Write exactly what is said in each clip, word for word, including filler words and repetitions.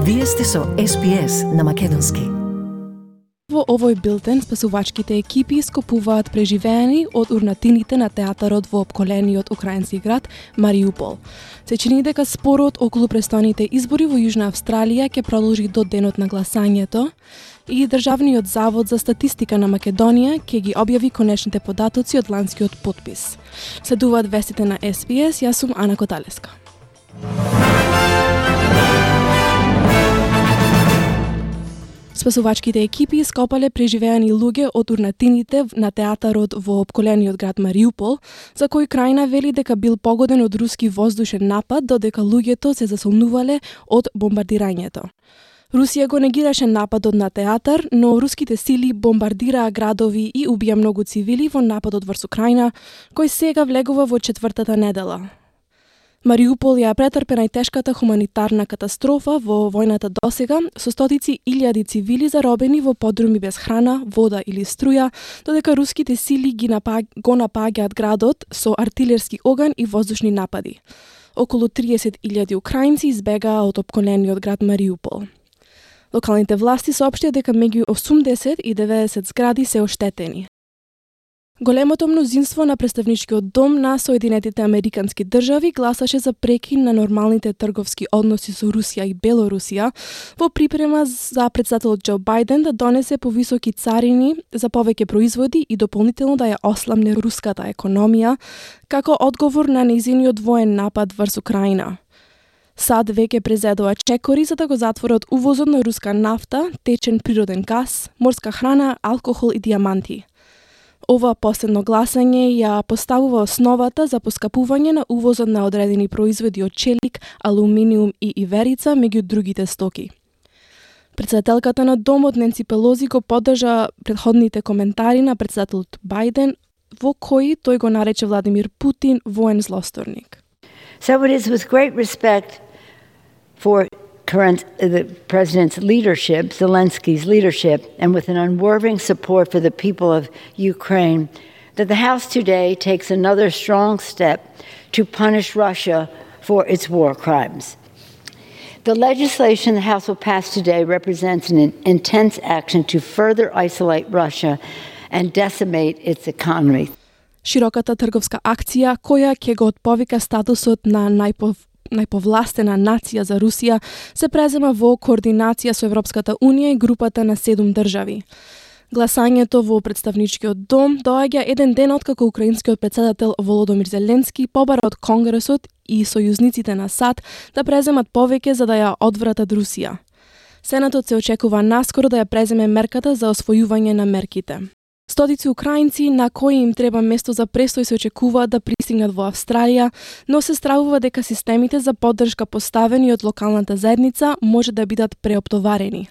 Вие сте со Ес Би Ес на македонски. Во овој билтен спасувачките екипи скопуваат преживеани од урнатините на театарот во опколениот украински град Мариупол. Се чини дека спорот околу престојните избори во Јужна Австралија ќе продолжи до денот на гласањето и Државниот завод за статистика на Македонија ќе ги објави конечните податоци од ланскиот потпис. Следуваат вестите на Ес Би Ес, јас сум Ана Коталеска. Спасувачките екипи скопале преживеани луѓе од урнатините на театарот во опколениот град Мариупол, за кој крајна вели дека бил погоден од руски воздушен напад, додека луѓето се засолнувале од бомбардирањето. Русија го негираше нападот на театар, но руските сили бомбардираа градови и убија многу цивили во нападот врз Украина, кој сега влегува во четвртата недела. Мариупол ја претрпе најтешката хуманитарна катастрофа во војната досега, со стотици илјади цивили заробени во подруми без храна, вода или струја, додека руските сили ги напаг... го напаѓаат градот со артилерски оган и воздушни напади. Околу триесет илјади украинци избегаа од опколениот град Мариупол. Локалните власти соопштија дека меѓу осумдесет и деветдесет згради се оштетени. Големото мнозинство на представничкиот дом на Соединетите Американски држави гласаше за прекин на нормалните трговски односи со Русија и Белорусија во припрема за претседателот Џо Бајден да донесе повисоки царини за повеќе производи и дополнително да ја осламне руската економија како одговор на нејзиниот воен напад врз Украина. САД веќе презедува чекори за да го затворат увозот на руска нафта, течен природен газ, морска храна, алкохол и дијаманти. Ова последно гласање ја поставува основата за поскапување на увозот на одредени производи од челик, алуминиум и иверица, меѓу другите стоки. Претседателката на домот Ненси Пелози го поддржа претходните коментари на претседателот Бајден, во кои тој го нарече Владимир Путин воен злосторник. So it is with great respect for current uh, the president's leadership, Zelensky's leadership, and with an unwavering support for the people of Ukraine, that the House today takes another strong step to punish Russia for its war crimes. The legislation the House will pass today represents an intense action to further isolate Russia and decimate its economy. Широката трговска акција, која ќе го отповика статусот на најпов најповластена нација за Русија, се презема во координација со Европската Унија и групата на седум држави. Гласањето во представничкиот дом доаѓа еден ден откако украинскиот претседател Володомир Зеленски побара од Конгресот и сојузниците на САД да преземат повеќе за да ја одвратат Русија. Сенатот се очекува наскоро да ја преземе мерката за освојување на мерките. Стотици украинци на кои им треба место за престој се очекуваат да пристигнат во Австралија, но се стравува дека системите за поддршка поставени од локалната заедница може да бидат преоптоварени.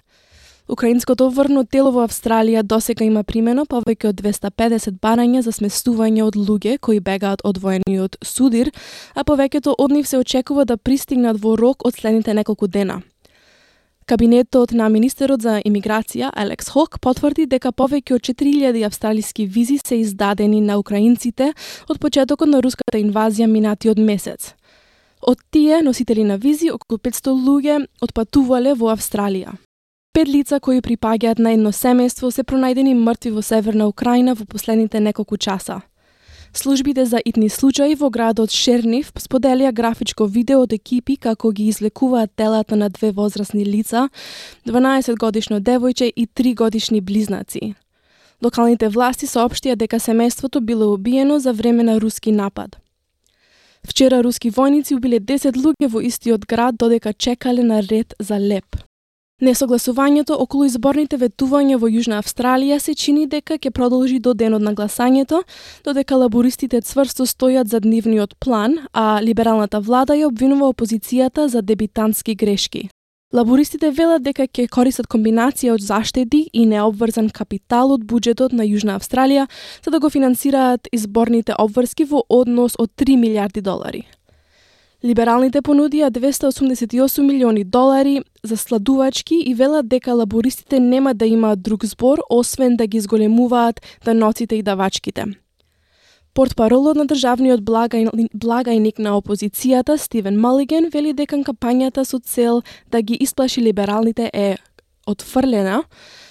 Украинското врно тело во Австралија досега има примено повеќе од двесте и педесет барања за сместување од луѓе кои бегаат од воениот судир, а повеќето од нив се очекува да пристигнат во рок од следните неколку дена. Кабинетот на министерот за имиграција Алекс Хок потврди дека повеќе од четири илјади австралиски визи се издадени на украинците од почетокот на руската инвазија минатиот месец. Од тие носители на визи, околу петсто луѓе отпатувале во Австралија. Пет лица кои припаѓаат на едно семејство се пронајдени мртви во северна Украина во последните неколку часа. Службите за итни случаи во градот Шернив споделија графичко видео од екипи како ги извлекуваат телата на две возрастни лица, дванаесет годишно девојче и три годишни близнаци. Локалните власти соопштија дека семејството било убиено за време на руски напад. Вчера руски војници убиле десет луѓе во истиот град додека чекале на ред за леп. Несогласувањето околу изборните ветувања во Јужна Австралија се чини дека ќе продолжи до денот на гласањето, додека лабористите цврсто стојат за нивниот план, а либералната влада ја обвинува опозицијата за дебитантски грешки. Лабористите велат дека ќе користат комбинација од заштеди и необврзан капитал од буџетот на Јужна Австралија за да го финансираат изборните обврски во однос од три милијарди долари. Либералните понудија двесте и осумдесет и осум милиони долари за сладувачки и велат дека лабористите нема да имаат друг збор освен да ги зголемуваат даноците и давачките. Портпаролот на државниот благај... благајник на опозицијата Стивен Малиген вели дека кампањата со цел да ги исплаши либералните е отфрлена.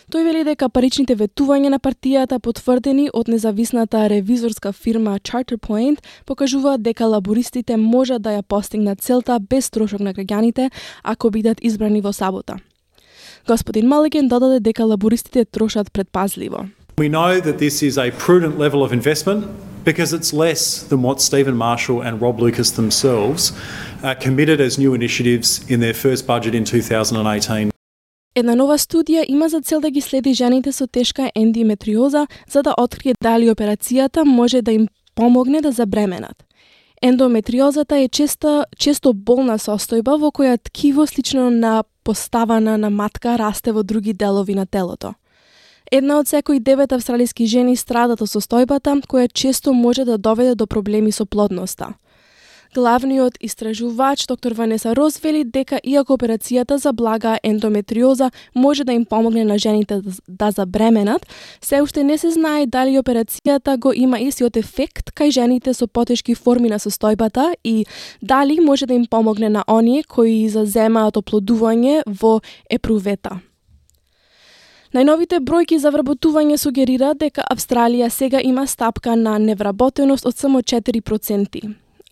Тој вели дека паричните ветувања на партијата, потврдени од независната ревизорска фирма Charterpoint, покажуваат дека лабористите можат да ја постигнат целта без трошок на граѓаните ако бидат избрани во сабота. Господин Малиген додаде дека лабористите трошат предпазливо. We know that this is a prudent level of investment because it's less than what Stephen Marshall and Rob Lucas themselves uh, committed as new initiatives in their first budget in two thousand eighteen. Една нова студија има за цел да ги следи жените со тешка ендометриоза за да открие дали операцијата може да им помогне да забременат. Ендометриозата е често, често болна состојба во која ткиво слично на поставана на матка расте во други делови на телото. Една од секои девет австралиски жени страдат од состојбата, која често може да доведе до проблеми со плодноста. Главниот истражувач доктор Ванеса Рос вели дека иако операцијата за блага ендометриоза може да им помогне на жените да забременат, се уште не се знае дали операцијата го има истиот ефект кај жените со потешки форми на состојбата и дали може да им помогне на оние кои заземаат оплодување во епрувета. Најновите бројки за вработување сугерираат дека Австралија сега има стапка на невработеност од само четири проценти.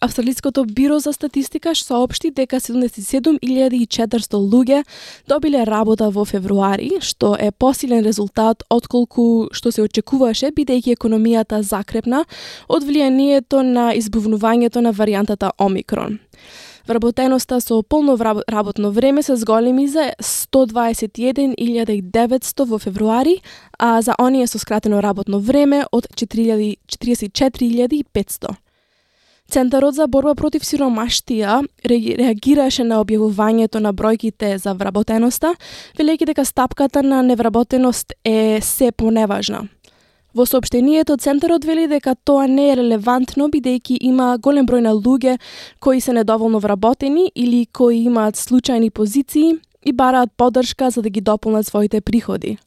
Австралиското биро за статистика соопшти дека седумдесет и седум илјади и четиристо луѓе добиле работа во февруари, што е посилен резултат отколку што се очекуваше бидејќи економијата закрепна од влијанието на избувнувањето на варијантата Омикрон. Вработеноста со полно работно време се зголеми за сто дваесет и еден илјади и деветсто во февруари, а за оние со скратено работно време од четиридесет и четири илјади и петсто. Центарот за борба против сиромаштија реагираше на објавувањето на бројките за вработеноста, велејќи дека стапката на невработеност е се поневажна. Во соопштението Центарот вели дека тоа не е релевантно бидејќи има голем број на луѓе кои се недоволно вработени или кои имаат случајни позиции и бараат поддршка за да ги дополнат своите приходи.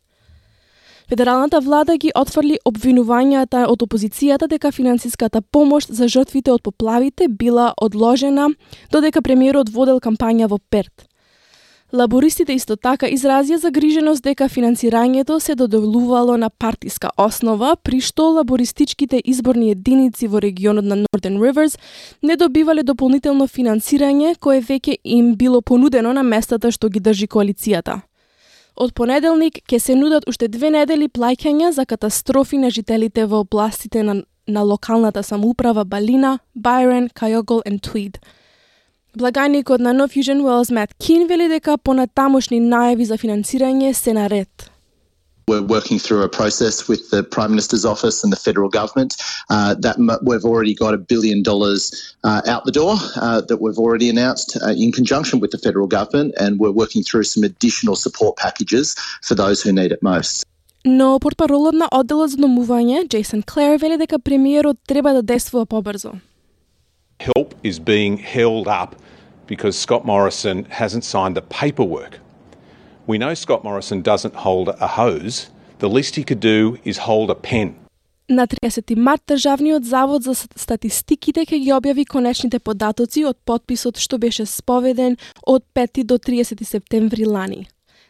Федералната влада ги отфрли обвинувањата од опозицијата дека финансиската помош за жртвите од поплавите била одложена додека премиерот водел кампања во Перт. Лабористите исто така изразија загриженост дека финансирањето се доделувало на партиска основа, при што лабористичките изборни единици во регионот на Northern Rivers не добивале дополнително финансирање кое веќе им било понудено на местата што ги држи коалицијата. Од понеделник ќе се нудат уште две недели плаќања за катастрофи на жителите во областите на, на локалната самоуправа Балина, Byron, Kyogle and Tweed. Благајникот на New Fusion Wells Matt Keane вели дека понатамошни најави за финансирање се наред. We're working through a process with the Prime Minister's office and the federal government uh, that m- we've already got a billion dollars uh, out the door uh, that we've already announced uh, in conjunction with the federal government, and we're working through some additional support packages for those who need it most. Но портпаролот на одделот за домување, Jason Clare, вели дека премиерот треба да действува побрзо. Help is being held up because Scott Morrison hasn't signed the paperwork. We know Scott Morrison doesn't hold a hose. The least he could do is hold a pen. На триесети март Државниот завод за статистиките ќе ги објави конечните податоци од потписот што беше споведен од пети до триесети септември лани.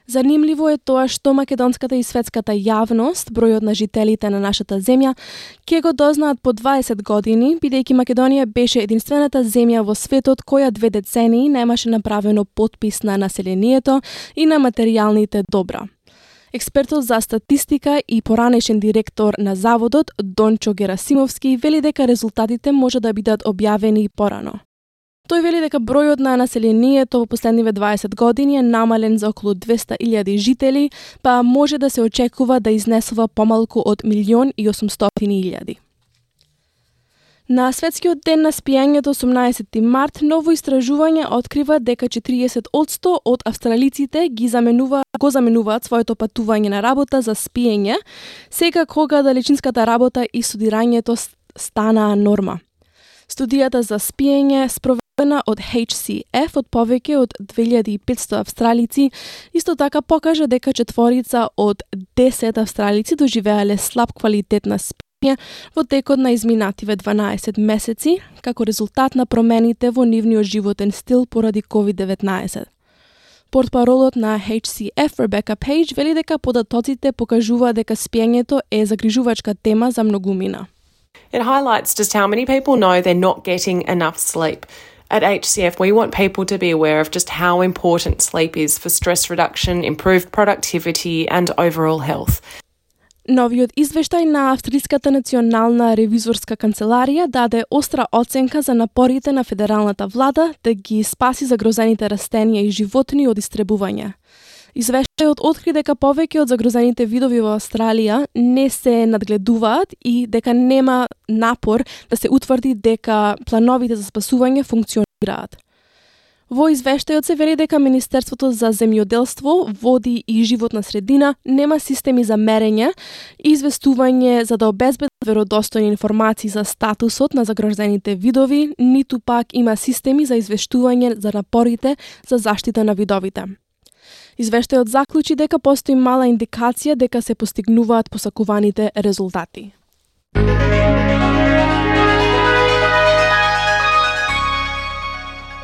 Занимливо е тоа што македонската и светската јавност, бројот на жителите на нашата земја, ќе го дознаат по дваесет години, бидејќи Македонија беше единствената земја во светот која две децении немаше направено потпис на населението и на материјалните добра. Експертот за статистика и поранешен директор на заводот, Дончо Герасимовски, вели дека резултатите може да бидат објавени порано. Тој вели дека бројот на населението во последниве дваесет години е намален за околу двеста илјади жители, па може да се очекува да изнесува помалку од милион и осумстотини илјади. На светскиот ден на спиењето осумнаесети март, ново истражување открива дека четириесет одсто од австралиците ги заменува, го заменуваат своето патување на работа за спиење, сега кога далечинската работа и студирањето станаа норма. Студијата за спиење спроведена од H C F од повеќе од две илјади и петсто австралици исто така покажа дека четворица од десет австралици доживеале слаб квалитет на спиење во текот на изминативе дванаесет месеци, како резултат на промените во нивниот животен стил поради ковид деветнаесет. Портпаролот на H C F, Rebecca Page, вели дека податоците покажува дека спиењето е загрижувачка тема за многумина. It highlights just how many people know they're not getting enough sleep. At H C F, we want people to be aware of just how important sleep is for stress reduction, improved productivity, and overall health. Новиот извештај на Австриската национална ревизорска канцеларија даде остра оценка за напорите на федералната влада да ги спаси загрозените растенија и животни од истребување. Извештајот откри дека повеќе од загрозените видови во Австралија не се надгледуваат и дека нема напор да се утврди дека плановите за спасување функционираат. Во извештајот се вели дека Министерството за земјоделство, води и животна средина нема системи за мерење и известување за да обезбедат веродостојни информации за статусот на загрозените видови, ниту пак има системи за извештување за напорите за заштита на видовите. Извештајот заклучи дека постои мала индикација дека се постигнуваат посакуваните резултати.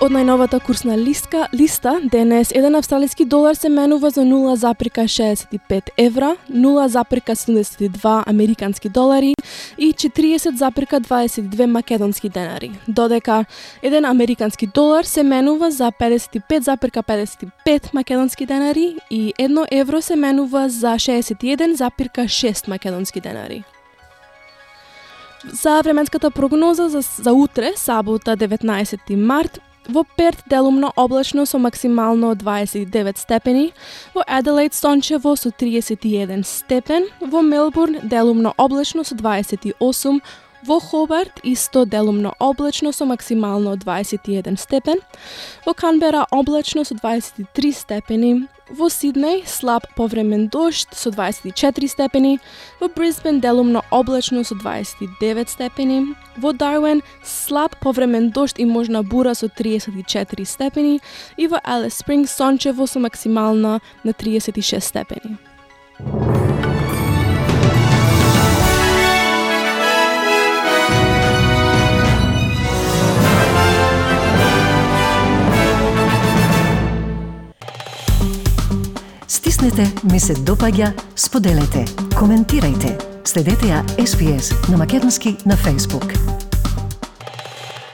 Од најновата курсна лиска, листа, денес еден австралиски долар се менува за нула запирка шеесет и пет евра, нула запирка седумдесет и два американски долари и четириесет запирка дваесет и две македонски денари, додека еден американски долар се менува за педесет и пет запирка педесет и пет македонски денари и едно евро се менува за шеесет и еден запирка шест македонски денари. За временската прогноза за, за утре, сабота деветнаесети март, во Перт делумно облачно со максимално дваесет и девет степени, во Аделаид сончево со триесет и еден степен, во Мелбурн делумно облачно со дваесет и осум, во Хобарт исто делумно облачно со максимално дваесет и еден степен, во Канбера облачно со дваесет и три степени, во Сиднеј слаб повремен дожд со дваесет и четири степени, во Брисбен делумно облачно со дваесет и девет степени, во Дарвин слаб повремен дожд и можна бура со триесет и четири степени и во Алис Спрингс сончево со максимална на триесет и шест степени. Стиснете, ми се допаѓа, споделете, коментирајте. Следете ја С Б С на македонски на Facebook.